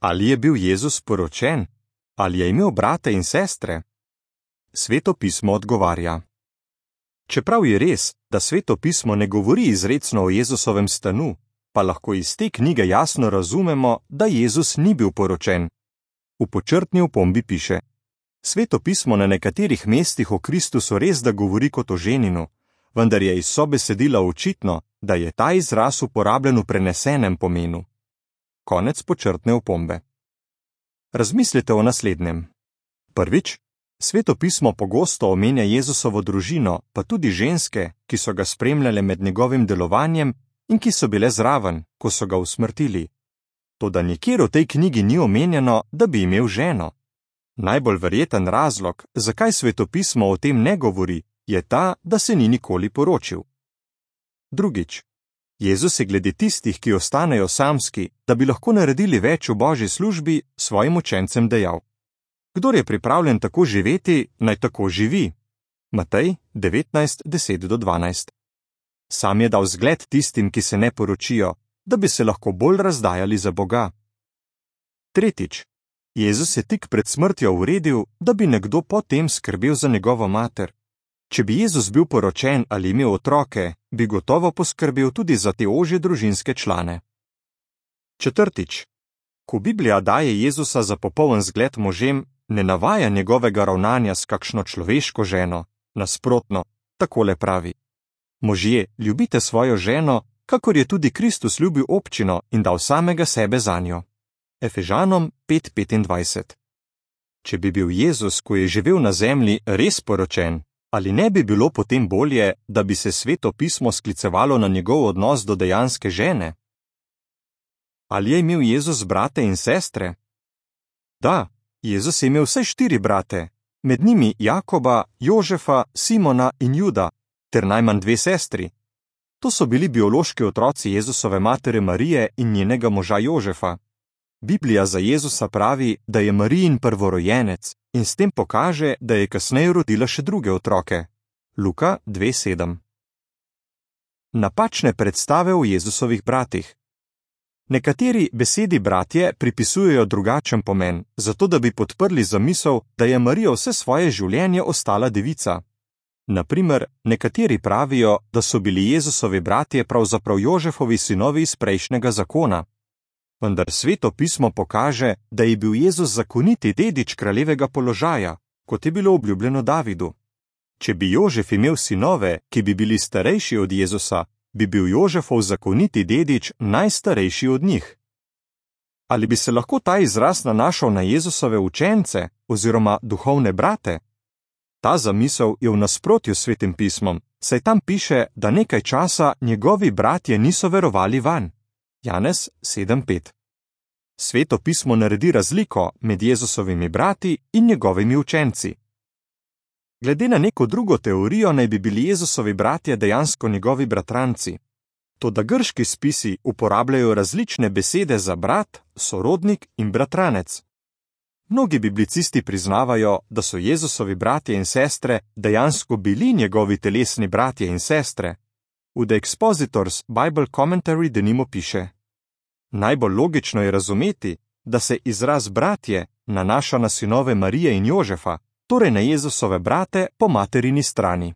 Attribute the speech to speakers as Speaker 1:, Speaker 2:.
Speaker 1: Ali je bil Jezus poročen? Ali je imel brate in sestre? Sveto pismo odgovarja. Čeprav je res, da Sveto pismo ne govori izrecno o Jezusovem stanu, pa lahko iz te knjige jasno razumemo, da Jezus ni bil poročen. V počrtni opombi piše: Sveto pismo na nekaterih mestih o Kristusu res da govori kot o ženinu, vendar je iz sobesedila očitno, da je ta izraz uporabljen v prenesenem pomenu. Konec počrtne opombe. Razmislite o naslednjem. Prvič, Sveto pismo pogosto omenja Jezusovo družino, pa tudi ženske, ki so ga spremljale med njegovim delovanjem in ki so bile zraven, ko so ga usmrtili. Toda nikjer v tej knjigi ni omenjeno, da bi imel ženo. Najbolj verjeten razlog, zakaj Sveto pismo o tem ne govori, je ta, da se ni nikoli poročil. Drugič, Jezus je glede tistih, ki ostanejo samski, da bi lahko naredili več v Božji službi, svojim učencem dejal: Kdor je pripravljen tako živeti, naj tako živi. Matej 19:10-12. Sam je dal zgled tistim, ki se ne poročijo, da bi se lahko bolj razdajali za Boga. Tretjič, Jezus je tik pred smrtjo uredil, da bi nekdo potem skrbel za njegovo mater. Če bi Jezus bil poročen ali imel otroke, bi gotovo poskrbel tudi za te ožje družinske člane. Četrtič, ko Biblija daje Jezusa za popoln zgled možem, ne navaja njegovega ravnanja s kakšno človeško ženo, nasprotno, takole pravi: Možje, ljubite svojo ženo, kakor je tudi Kristus ljubil občino in dal samega sebe zanjo. Efežanom 5:25. Če bi bil Jezus, ko je živel na zemlji, res poročen, ali ne bi bilo potem bolje, da bi se Sveto pismo sklicevalo na njegov odnos do dejanske žene? Ali je imel Jezus brate in sestre? Da, Jezus je imel vse 4 brate, med njimi Jakoba, Jožefa, Simona in Juda, ter najmanj 2 sestri. To so bili biološki otroci Jezusove matere Marije in njenega moža Jožefa. Biblija za Jezusa pravi, da je Marijin prvorojenec in s tem pokaže, da je kasneje rodila še druge otroke. Luka 2:7. Napačne predstave o Jezusovih bratih. Nekateri besedi bratje pripisujejo drugačen pomen, zato da bi podprli zamisel, da je Marija vse svoje življenje ostala devica. Naprimer, nekateri pravijo, da so bili Jezusovi bratje pravzaprav Jožefovi sinovi iz prejšnjega zakona. Vendar Sveto pismo pokaže, da je bil Jezus zakoniti dedič kraljevega položaja, kot je bilo obljubljeno Davidu. Če bi Jožef imel sinove, ki bi bili starejši od Jezusa, bi bil Jožefov zakoniti dedič najstarejši od njih. Ali bi se lahko ta izraz nanašal na Jezusove učence oziroma duhovne brate? Ta zamisel je v nasprotju s Svetim pismom, saj tam piše, da nekaj časa njegovi bratje niso verovali vanj. Janez 7:5. Sveto pismo naredi razliko med Jezusovimi brati in njegovimi učenci. Glede na neko drugo teorijo naj bi bili Jezusovi bratje dejansko njegovi bratranci. Toda grški spisi uporabljajo različne besede za brat, sorodnik in bratranec. Mnogi biblicisti priznavajo, da so Jezusovi bratje in sestre dejansko bili njegovi telesni bratje in sestre. V The Expositors Bible Commentary denimo piše: Najbolj logično je razumeti, da se izraz bratje nanaša na sinove Marije in Jožefa, torej na Jezusove brate po materini strani.